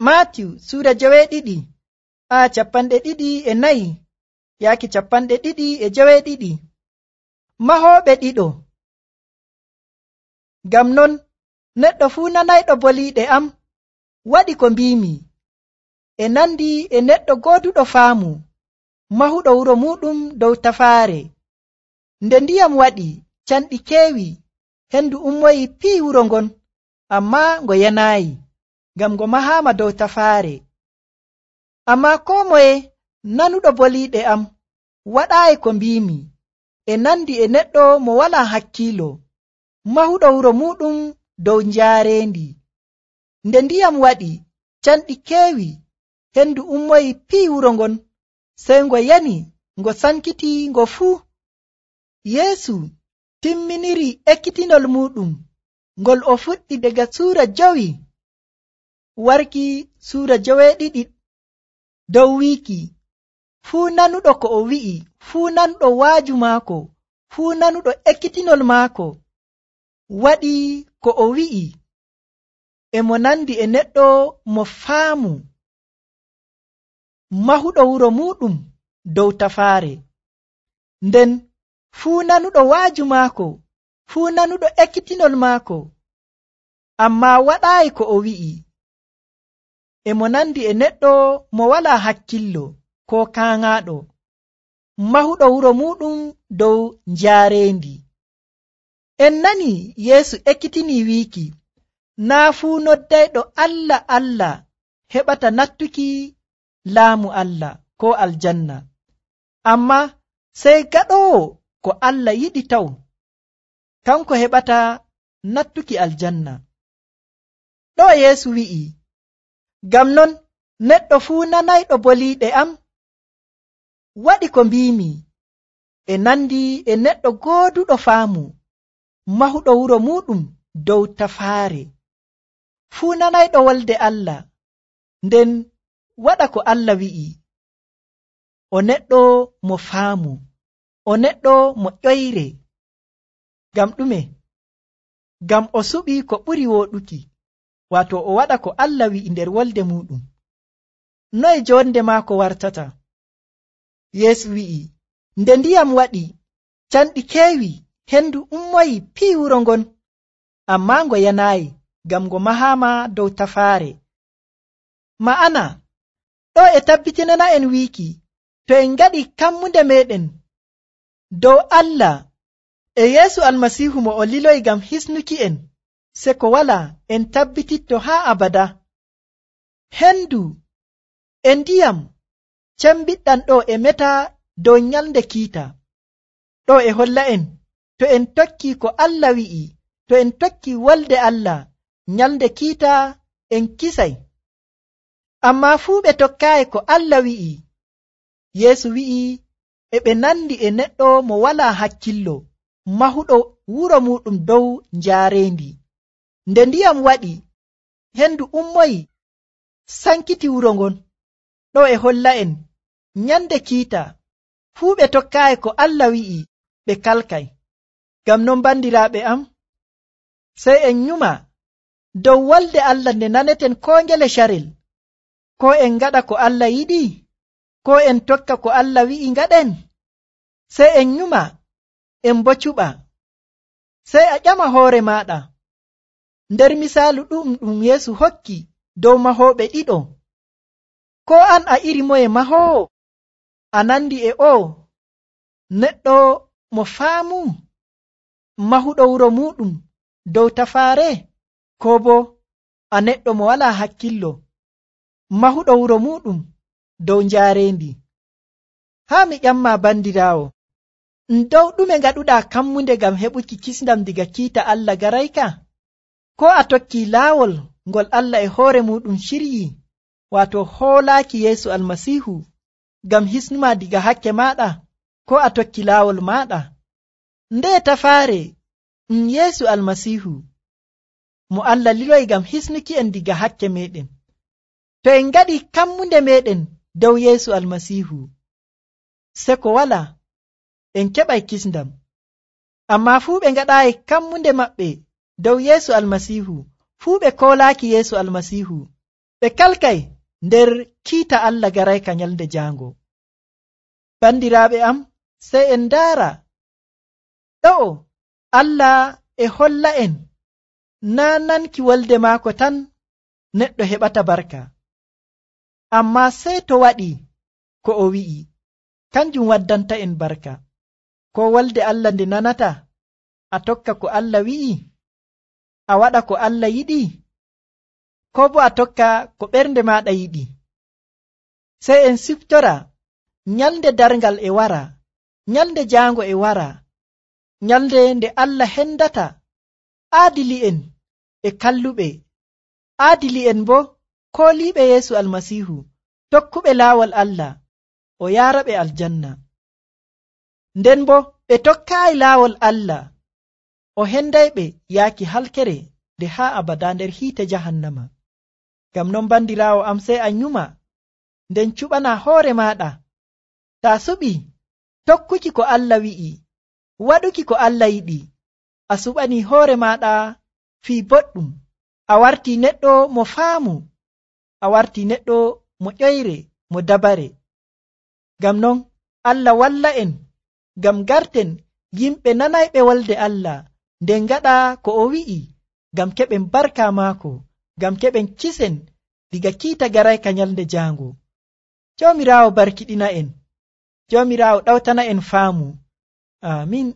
Maatiyu suura 2 aya 24 yaaki 22. Mahooɓe ɗiɗo. Ngam non neɗɗo fuu nanayɗo boliiɗe am waɗi ko mbiimi, e nandi e neɗɗo gooduɗo faamu mahuɗo wuro muɗum dow tafaare. Nde ndiyam waɗi, canɗi keewi, hendu ummoyi pii wuro ngon, ammaa ngo yanaayi, ngam ngo mahaama dow tafaare. Ammaa koo moye nanuɗo boliiɗe am waɗaayi ko mbiimi, e nandi e neɗɗo mo walaa hakkiilo mahuɗo wuro muɗum dow njaareendi. Nde ndiyam waɗi, canɗi keewi, hendu ummoyi pii wuro ngon, sey ngo yani, ngo sankiti ngo fuu. Yeesu timminiri ekkitinol muɗum ngol o fuɗɗi daga suura 5 warki suura 2 dow wiiki, fuu nanuɗo ko o wi'i, fuu nanuɗo waaju maako, fuu nanuɗo ekkitinol maako waɗi ko o wi'i, e mo nandi e neɗɗo mo faamu mahuɗo wuro muɗum dow tafaare. Nden fuu nanuɗo waaju maako, fuu nanuɗo ekkitinol maako, ammaa waɗaayi ko o wi'i, e mo nandi e neɗɗo mo walaa hakkillo koo kaaŋaaɗo mahuɗo wuro muɗum dow njaareendi. En nani Yeesu ekkitinii wiiki, naa fuu noddayɗo Allah Allah heɓata nattuki laamu Allah koo aljanna, ammaa sey gaɗoowo ko Allah yiɗi taw, kanko heɓata nattuki aljanna. Ɗo Yeesu wi'i, ngam non neɗɗo fuu nanayɗo boliiɗe am waɗi ko mbiimi, e nandi e neɗɗo gooduɗo faamu mahuɗo wuro muɗum dow tafaare. Fuu nanayɗo wolde Allah, nden waɗa ko Allah wi'i, o neɗɗo mo faamu, o neɗɗo mo ƴoyre. Ngam ɗume? Ngam o suɓi ko ɓuri wooɗuki, waato o waɗa ko Allah wi'i nder wolde muɗum. Noye jonde maako wartata? Yeesu wi'i, nde ndiyam waɗi, canɗi keewi, hendu ummoyi pii wuro ngon, ammaa ngo yanaayi, ngam ngo mahaama dow tafaare. Ma'ana, ɗo e tabbitinana en wiiki, to en ngaɗi kammunde meɗen dow Allah e Yeesu Almasiihu mo o liloyi ngam hisnuki en, se ko walaa en tabbititto haa abada. Hendu e ndiyam cembiɗɗam ɗo e meta dow nyalnde kiita. Ɗo e holla en, to en tokki ko Allah wi'i, to en tokki wolde Allah, nyalnde kiita en kisay. Ammaa fuu ɓe tokkaayi ko Allah wi'i. Yeesu wi'i e ɓe nandi e neɗɗo mo walaa hakkillo mahuɗo wuro muɗum dow njaareendi. Nde ndiyam waɗi, hendu ummoyi sankiti wuro ngon. Ɗo e holla en, nyande kiita fuu ɓe tokkaayi ko Allah wi'i, ɓe kalkay. Ngam non bandiraaɓe am, sey en nyuma dow wolde Allah nde naneten koo ngele carel, ko en ngaɗa ko Allah yiɗi, ko en tokka ko Allah wi'i ngaɗen. Sey en nyuma, en bo cuɓa. Sey a ƴama hoore maaɗa, nder misaalu ɗum Yeesu hokki dow mahooɓe ɗiɗo, ko an a iri moye mahoowo? A nandi e o neɗɗo mo faamu mahuɗo wuro muɗum dow tafaare, ko bo a neɗɗo mo walaa hakkillo mahuɗo wuro muɗum dow njaareendi? Haa mi ƴamma bandiraawo, dow ɗume ngaɗuɗaa kammunde ngam heɓuki kisndam diga kiita Allah garayka? Ko a tokki laawol ngol Allah e hoore muɗum ciryi, waato hoolaaki Yeesu Almasiihu ngam hisnuma diga hakke maaɗa, ko a tokki laawol maaɗa? Nde tafaare Yeesu Almasiihu mo Allah liloyi ngam hisnuki en diga hakke meɗen. To en ngaɗi kammunde meɗen dow Yeesu Almasiihu, se ko wala en keɓay kisndam. Ammaa fuu ɓe ngaɗaayi kammunde maɓɓe dow Yeesu Almasiihu, fuu ɓe koolaaki Yeesu Almasiihu, ɓe kalkay nder kiita Allah garayka nyalde jaango. Bandiraaɓe am, sey en ndaara ɗo'o Allah e holla en naa nanki wolde maako tan neɗɗo heɓata barka, amma sey to waɗi ko o wi'i kanjum waddanta en barka. Ko wolde Allah nde nanata, a tokka ko Allah wi'i, a waɗa ko Allah yiɗi, ko bo a tokka ko ɓernde maɗa yiɗi. Sey en siftora nyalde darngal e wara, nyalde jaango e wara, nyalde nde Allah hendata aadili'en e kalluɓe, aadili'en bo kooliiɓe Yeesu Almasiihu, tokkuɓe laawol Allah, o yaaraɓe aljanna. Nden bo ɓe tokkaayi laawol Allah, o hendayɓe yaaki halkere nde haa abada nder hiite jahannama. Ngam non bandiraawo am, sey a nyuma nden cuɓana hoore maaɗa, taa suɓi tokkuki ko Allah wi'i, waɗuki ko Allah yiɗi, a suɓani hoore maaɗa fii boɗɗum, a wartii neɗɗo mo faamu, a wartii neɗɗo mo ƴoyre, mo dabare. Ngam non Allah walla en, ngam garten yimɓe nanayɓe wolde Allah, nden gaɗa ko o wi'i, ngam keɓen barka maako, ngam keɓen kisen diga kiita garayka nyalde jaango. Joomiraawo barkiɗina en, Joomiraawo ɗawtana en faamu. Amin.